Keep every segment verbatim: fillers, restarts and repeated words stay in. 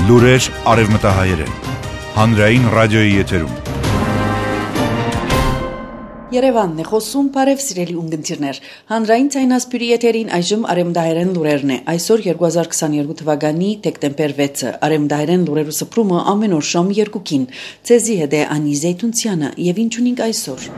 Լուրեր արևմտահայերեն, հանրային ռադիոյի եթերում։ Երևանն է խոսում, բարև սիրելի ունգընտիրներ, հանրային ցայնասպյուրի եթերին այժմ արևմտահայերեն լուրերն է, այսօր երկու հազար քսաներկու թվականի դեկտեմբեր վեցը, արևմտահայերեն լուրերու սփռումը ամեն օր շամ երկուքին, ցեզի հետ է Անի Զեյթունցյանը եւ ինչ ունենք այսօր։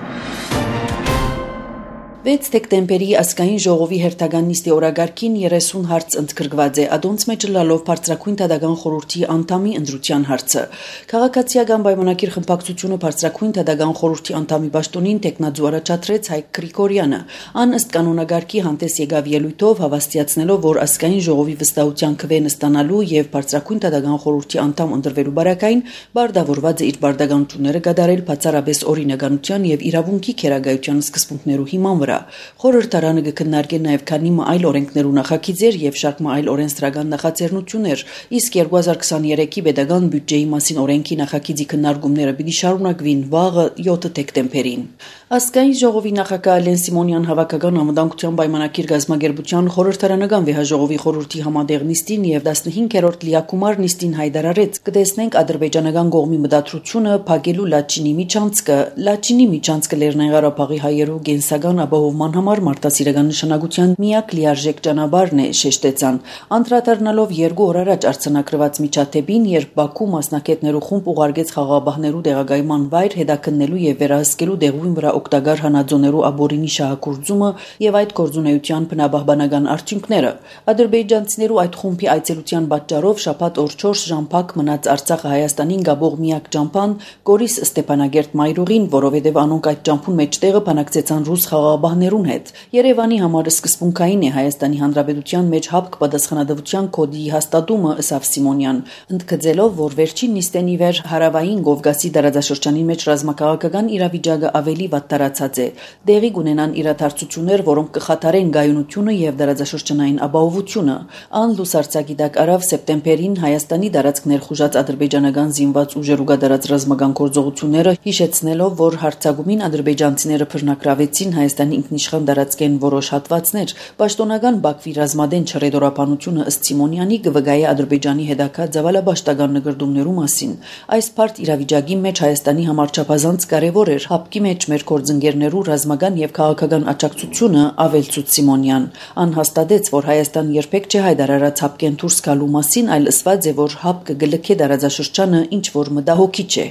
վեց դեկտեմբերի ազգային ժողովի հերթական նիստի օրագարկին երեսուն հարց ընդգրկված է, ադոնց մեջ լալով բարձրակույն դատական խորհրդի անդամի ընտրության հարցը։ Քաղաքացիական պայմանագիր խմբակցությունը բարձրակույն դատական խորհրդի անդամի պաշտոնին տեխնաձու առաջադրեց Հայկ Գրիգորյանը։ Ան ըստ կանոնագարկի հանդես եկավ ելույթով հավաստիացնելով, որ ազգային ժողովի վստահության քվեն ստանալու եւ բարձրակույն դատական խորհրդի անդամ ընտրվելու բարակային բարդավորված է իր բարդականությունները կատարել բացառապես օրինականության եւ իրավունքի քերագայության սկզբունքներու հիման վրա։ Խորհրդարանը կքննարկի նաև քանի այլ օրենքներու նախագիծեր եւ շարք այլ օրենսդրական նախաձեռնություններ, իսկ երկու հազար քսաներեքի պետական բյուջեի մասին օրենքի նախագիծի քննարկումները պիտի շարունակվին վաղը յոթ դեկտեմբերին։ Ազգային ժողովի նախագահ Ալեն Սիմոնյան հավաքական անվտանգության պայմանագիր գազագերբության խորհրդարանական վեհաժողովի խորհրդի համատեղ նիստին եւ տասնհինգերորդ լիակումար նիստին հայտարարեց կտեսնենք ադրբեջանական կողմի մտադրությունը փակելու Լաչինի միջանցքը Լաչինի միջանցքը Լեռնային Ղարաբաղի հայերու գենսական ապահովման համար մարդասիրական նշանակության միակ լիարժեք ճանապարհն է, շեշտեցան, անդրադառնալով երկու օր առաջ արձանագրված միջադեպին, երբ Բաքու մասնակիցներու խումբ ուղարկեց խաղաղապահներու տեղակայման վայր հետաքննելու եւ վերահսկելու դեղույն վրա օգտակար հանածոներու աբորինի շահագործումը եւ այդ գործունեության բնապահպանական արդյունքները։ Ադրբեջանցիներու այդ խումբի այցելության պատճառով շաբաթ օր չորս ժամ փակ մնաց Արցախը Հայաստանին գաբող միակ ճամփան Գորիս Ստեփանագերտ Մայրուղին, որովհետեւ անոնք այդ ճամփուն մեջտեղը բանակցեցան ռուս խաղաղապահներուն հետ։ Երևանի համար սկզբունքային է Հայաստանի Հանրապետության մեջ հապկ պատասխանատվության կոդի հաստատումը, ըսավ Սիմոնյան, ընդգծելով, որ վերջին նիստեն ի վեր հարավային Կովկասի տարածաշրջանի մեջ ռազմաքաղաքական իրավիճակը ավելի վատ տարածած է։ Դեղի կունենան իրադարձություններ, որոնք կխաթարեն գայունությունը եւ տարածաշրջանային ապահովությունը։ Ան լուսարցակի տակ արավ սեպտեմբերին Հայաստանի տարածք ներխուժած ադրբեջանական զինված ուժերու կատարած ռազմական գործողությունները, հիշեցնելով, որ հարձակումին ադրբեջանցիները բռնակրավեցին Հայաստանի ինքնիշխան տարածքեն որոշ հատվածներ, պաշտոնական Բաքվի ռազմադեն չռեդորապանությունը ըստ Սիմոնյանի կվգայի Ադրբեջանի հետագա ցավալաբաշտական նկրդումներու մասին։ Այս բարդ իրավիճակի մեջ Հայաստանի համար չափազանց կարևոր էր հապկի մեջ մեր գործընկերներու ռազմական եւ քաղաքական աջակցությունը, ավելցուց Սիմոնյան։ Ան հաստատեց, որ Հայաստան երբեք չի հայտարարած հապկեն դուրս գալու մասին, այլ ըսված է, որ հապկը գլքե տարածաշրջանը ինչ որ մտահոգիչ է։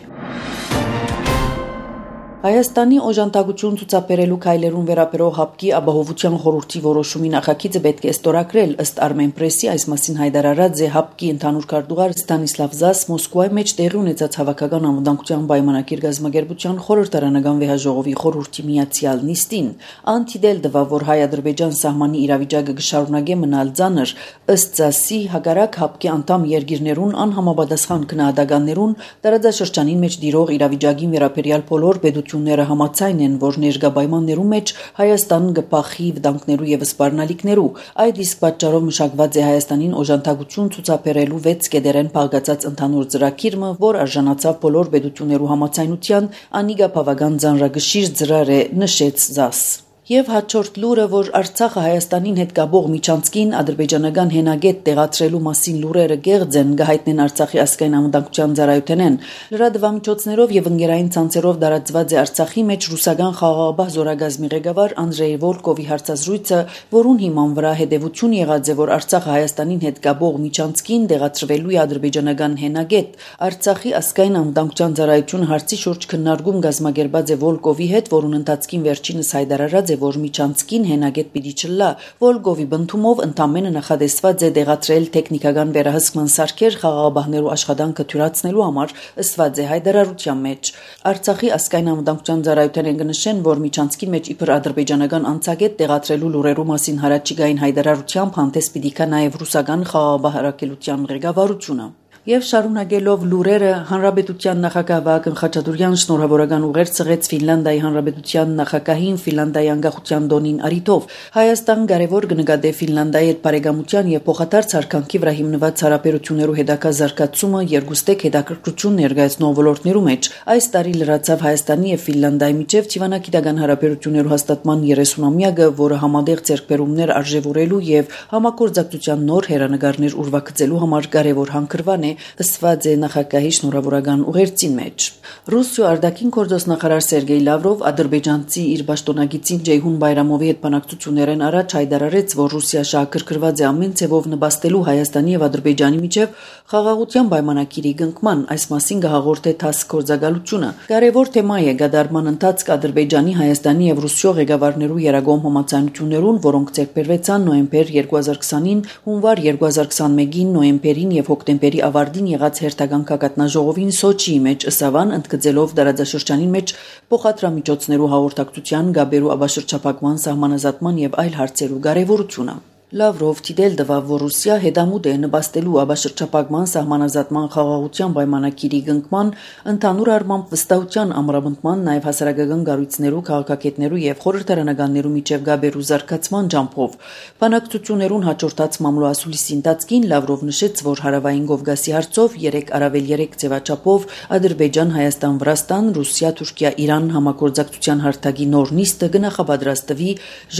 Հայաստանի օժանդակություն ցուցաբերելու քայլերուն վերաբերող հապկի ապահովության խորհրդի որոշումի նախագիծը պետք է ստորագրել, ըստ Armenpress-ի այս մասին հայտարարած է հապկի ընդհանուր քարտուղար Ստանիսլավ Զաս Մոսկվայի մեջ տեղի ունեցած հավաքական անվտանգության պայմանագիր գազագերբության խորհրդարանական վեհաժողովի խորհրդի միացյալ նիստին։ Անտիդել դվա, որ հայ-ադրբեջան սահմանի իրավիճակը կշարունակե մնալ ծանր, ըստ Զասի հակառակ հապկի անդամ երկիրներուն անհամապատասխան քննադատականներուն տարածաշրջանին մեջ դիրող իրավիճակին վերաբերյալ բոլոր պետությունները համաձայն են, որ ներկա պայմաններու մեջ Հայաստանն կփախի վտանգներու եւ սպառնալիքներու։ Այդ իսկ պատճառով մշակված է Հայաստանին օժանդակություն ցուցաբերելու վեց կետերեն փակացած ընդհանուր ծրագիրը, որ արժանացավ բոլոր պետություններու համաձայնության, անիգա բավական ծանրագշիր ծրար է, նշեց Զաս։ Եվ հաջորդ լուրը, որ Արցախը Հայաստանին հետ գաբող միջանցքին ադրբեջանական հենագետ տեղադրելու մասին լուրերը գեղձ են, գահիտնեն Արցախի ազգային անվտանգության ծառայությունեն։ Լրատվամիջոցներով եւ ընկերային ցանցերով տարածված է Արցախի մեջ ռուսական խաղաղապահ զորագազմի ղեկավար Անդրեյ Վոլկովի հարցազրույցը, որուն հիման վրա հետևություն եղած է, որ Արցախը Հայաստանին հետ գաբող միջանցքին տեղադրվելու է ադրբեջանական հենագետ։ Արցախի ազգային անվտանգության ծառայությունը հարցի շուրջ քննարկում գազմագերբած է Վոլկովի հետ, որուն ընթացքին վերջինս հայտարարած որ միջանցքին հենագետ պիտի չլա, Վոլկովի բնդումով ընդամենը նախադեсված է դեղատրել տեխնիկական վերահսկման սարքեր խաղաղապահներու աշխատանքը թյուրացնելու համար, ըսված է հայտարարության մեջ։ Արցախի ազգային անվտանգության ծառայությունն կնշեն, որ միջանցքի մեջ իբր ադրբեջանական անցագետ տեղադրելու լուրերու մասին հարաճիգային հայտարարությամբ հանդես պիտի գա նաև ռուսական խաղաղապահ հրաապարակելության ղեկավարությունը։ Եվ շարունակելով լուրերը, Հանրապետության նախագահ Վահագն Խաչատուրյան շնորհավորական ուղեր ցղեց Ֆինլանդիայի Հանրապետության նախագահին Ֆինլանդիայի անկախության տոնին արիթով։ Հայաստան կարևոր կնկատե Ֆինլանդիայի հետ բարեկամության եւ փոխադարձ հարկանքի վրա հիմնված հարաբերություններու հետագա զարգացումը երկուստեք հետաքրքրություն ներկայացնող ոլորտներու մեջ։ Այս տարի լրացավ Հայաստանի եւ Ֆինլանդիայի միջև դիվանագիտական հարաբերություններու հաստատման երեսունամյակը, որը համատեղ ձեռքբերումներ արժևորելու եւ համագործակցության նոր հերանեկարներ ուրվագծելու համար կարևոր հանգրվան է, ըսված է նախագահի շնորհավորական ուղերձին մեջ։ Ռուսիա արտաքին գործոստ նախարար Սերգեյ Լավրով ադրբեջանցի իր պաշտոնագիտին Ջեյհուն Բայրամովի հետ բանակցություններն առաջ հայտարարեց, որ Ռուսիա շահագրգռված է ամեն ցևով նպաստելու Հայաստանի եւ Ադրբեջանի միջև խաղաղության պայմանագիրի կնքման, այս մասին կհաղորդե ԹԱՍՍ գործակալությունը։ Կարևոր թեմա է գդարման ընթացք Ադրբեջանի, Հայաստանի եւ Ռուսիո ղեկավարներու երագոմ համաձայնություններուն, որոնք ձեռքբերվեցան նոյեմբեր երկու հազար քսանին, հունվար երկու հազար քսանմեկին, նոյեմբերին եւ հոկտեմբերի ավարտին եղած հերթական կակատնաժողովին Սոչիի մեջ ըսավան ընդգծելով դարաձաշրջանին մեջ փոխադրամիջոցներու հաղորդակցության, գաբերու աբաշրջապակման, սահմանազատման եւ այլ հարցերու կարեւորությունը։ Լավրով թիդել տվավ, որ Ռուսիա հետամուտ է նպաստելու աբաշրջապակման, սահմանազատման, խաղաղության պայմանագիրի կնքման, ընդհանուր առմամբ վստահության ամրապնդման, նաև հասարակական կառույցներու, քաղաքագետներու եւ խորհրդարանականներու միջև գաբերու զարգացման ջամփով։ Բանակցություններուն հաջորդած մամլոասուլիսի ընթացքին Լավրով նշեց, որ հարավային Կովկասի հարցով երեք առավել երեք ձևաչափով Ադրբեջան, Հայաստան, Վրաստան, Ռուսիա, Թուրքիա, Իրան համագործակցության հարթակի նոր նիստը կնախապատրաստվի,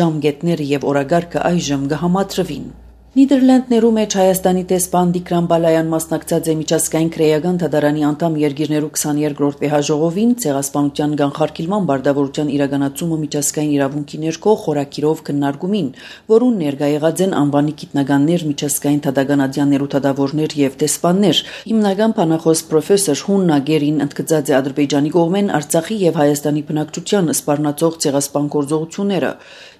ժամկետները եւ օրագարկը այժմ կհամատրվին։ Նիդերլանդներու մեջ Հայաստանի տեսփան Դիկրան Բալայան մասնակցած է միջազգային քրեական դատարանի անդամ երկիրներու քսաներկրորդ վեհաժողովին ցեղասպանության կանխարգելման բարդավորության իրականացումը միջազգային իրավունքի ներքո խորակիրով քննարկումին, որուն ներկա եղած են անվանի գիտնականներ, միջազգային դատական ադյաններու դատավորներ եւ տեսփաններ։ Հիմնական բանախոս պրոֆեսոր Հուննա Գերին ընդգծած է Ադրբեջանի կողմեն Արցախի եւ Հայաստանի բնակչության սպառնացող ցեղասպան գործողությունները։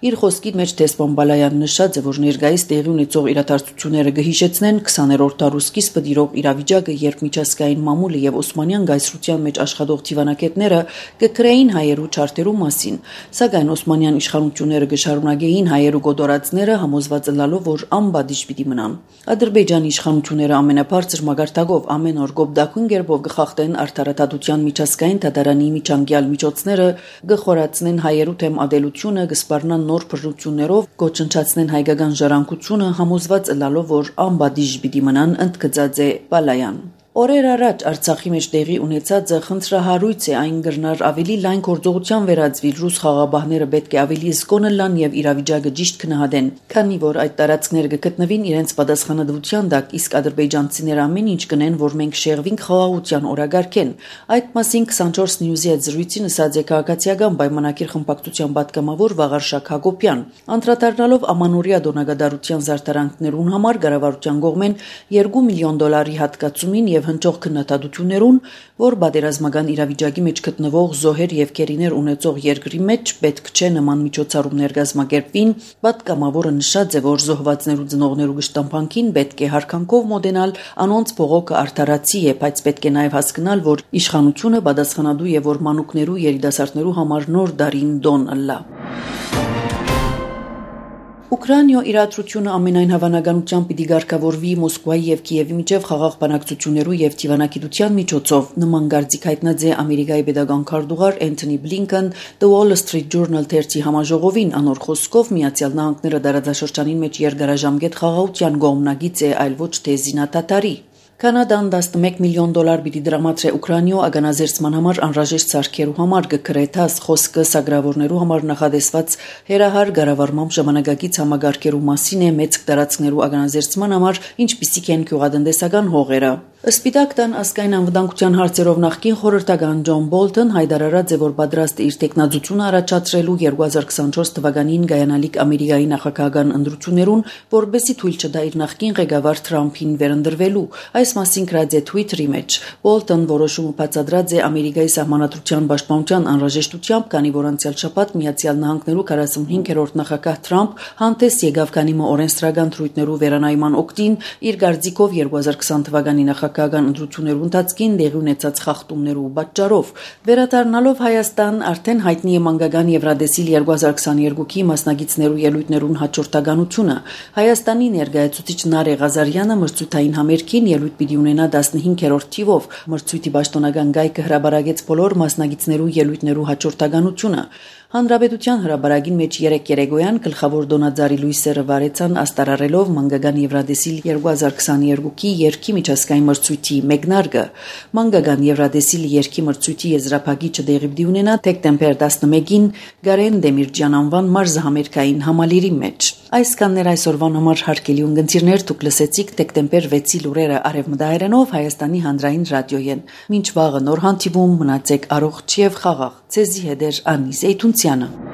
Իր խոսքի մեջ տեսփան Բալայան նշած է, որ ներկայիս տեղի ունեցող իրադարձությունները կհիշեցնեն քսաներորդ դարու սկիզբը դիրող իրավիճակը, երբ միջազգային մամուլը եւ Օսմանյան գայսրության մեջ աշխատող դիվանագետները կկրեին հայերու չարտերու մասին, սակայն Օսմանյան իշխանությունները կշարունակեին հայերու գոտորածները, համոզված ըլլալով, որ անբադիժ պիտի մնան։ Ադրբեջանի իշխանությունները ամենաբարձր մագարտակով ամեն օր գոբդակուն գերբով կխախտեն արդարադատության միջազգային դատարանի միջանկյալ միջոցները, կխորացնեն հայերու թեմ ադելությունը, կսպառնան նոր բռնություններով, կոչնչացնեն հայկական ժառանգությունը, համոզված ըլլալով, որ անբադիժ պիտի մնան, ընդգծած է Բալայան։ Օրեր առաջ Արցախի մեջ տեղի ունեցածը խնդրահարույց է, այն կրնար ավելի լայն գործողության վերածվի, ռուս խաղաղապահները պետք է ավելի զգոն լան եւ իրավիճակը ճիշտ քննադեն, քանի որ այդ տարածքները կգտնվին իրենց պատասխանատվության տակ, իսկ ադրբեջանցիները ամեն ինչ կնեն, որ մենք շեղվինք խաղաղության օրագարկեն։ Այդ մասին քսանչորս News-ի հետ զրույցին ասաց է քաղաքացիական պայմանագիր խմբակցության պատգամավոր Վաղարշակ Հակոբյան, անդրադառնալով ամանորյա դոնագադարության զարդարանքներուն համար կառավարության կողմեն երկու միլիոն դոլարի հատկացումին եւ հնչող քննադատություններուն, որ պատերազմական իրավիճակի մեջ գտնվող զոհեր եւ գերիներ ունեցող երկրի մեջ պետք չէ նման միջոցառումներ կազմակերպվին, պատգամավորը նշած է, որ զոհվածներու ծնողներու գշտամփանքին պետք է հարկանքով մոտենալ, անոնց փողոքը արդարացի է, բայց պետք է նաեւ հասկանալ, որ իշխանությունը պատասխանատու է, որ մանուկներու երիտասարդներու համար նոր դարին դոն ըլլա։ Ուկրաինայո իրադրությունը ամենայն հավանականությամբ պիտի ղեկավարվի Մոսկվայի եւ Կիևի միջև խաղաղ բանակցություններու եւ դիվանագիտության միջոցով, նման գարցիկ հայտնած է Ամերիկայի պետական քարտուղար Էնթոնի Բլինքեն The Wall Street Journal թերթի համաժողովին, անոր խոսքով Միացյալ Նահանգները դարաձաշրջանի մեջ երկարաժամկետ խաղաղության կողմնակից է, այլ ոչ թե զինադատարի։ Կանադան տասնմեկ միլիոն դոլար պիտի դրամատրե Ուկրաինայո ագանազերծման համար անհրաժեշտ սարքերու համար կգրե ԹԱՍՍ խոսքը սագրավորներու համար նախադեсված հերահար կառավարմամբ ժամանակակից համագարկերու մասին է մեծ տարածքներու ագանազերծման համար, ինչպիսիք են գյուղատնտեսական հողերը։ Սպիտակ տան ազգային անվտանգության հարցերով նախկին խորհրդական Ջոն Բոլթոն հայտարարած է, որ պատրաստ է իր տեխնազությունը առաջացրելու երկու հազար քսանչորս թվականին գայանալիք Ամերիկայի նախագահական ընտրություններուն, որբեսի թույլ չտա իր նախկին ղեկավար Թրամփին վերընտրվելու։ Այս մասին գրած է Twitter-ի մեջ։ Բոլթոն որոշումը բացատրած է Ամերիկայի սահմանադրության պաշտպանության անհրաժեշտությամբ, քանի որ անցյալ շաբաթ Միացյալ Նահանգներու քառասունհինգերորդ նախագահ Թրամփ հանդես եկավ կանիմը օրենսդրական թրույթներու վերանայման օգտին իր գարձիկով երկու հազար քսան թվականի նախագահական ընտրություններու ընթացքին տեղի ունեցած խախտումներու պատճառով։ Վերադառնալով Հայաստան, արդեն հայտնի է մանկական Եվրադեսիլ երկու հազար քսաներկուի մասնագետներու ելույթներուն հաջորդականությունը։ Հայաստանի ներկայացուցիչ Նարե Ղազարյանը մրցույթային համերգին ելույթ պիտի ունենա տասնհինգերորդ թիվով։ Մրցույթի պաշտոնական գայքը հրաբարագեց բոլոր մասնագետներու ելույթներու հաջորդականությունը։ Հանրապետության հրաբարագին մեջ երեք երեկոյան գլխավոր դոնաձարի լույսերը վարեցան աստարարելով մանկական Եվրադեսիլ երկու հազար քսաներկուի երգի միջազգային մրցույթի մեկնարկը։ Մանկական Եվրադեսիլ երգի մրցույթի եզրափակիչը տեղի պիտի ունենա դեկտեմբեր տասնմեկին Գարեն Դեմիրճյան անվան մարզահամերգային համալիրի մեջ։ Այս կաններ այսօրվան համար հարգելի ունգընտիրներ, դուք լսեցիք դեկտեմբեր վեցի լուրերը արևմտահայերենով Հայաստանի հանրային ռադիոյեն։ Մինչ վաղը նոր հանդիպում, մնացեք առողջ եւ խաղաղ։ Ձեզի հետ է Անի Զեյթունցյանը։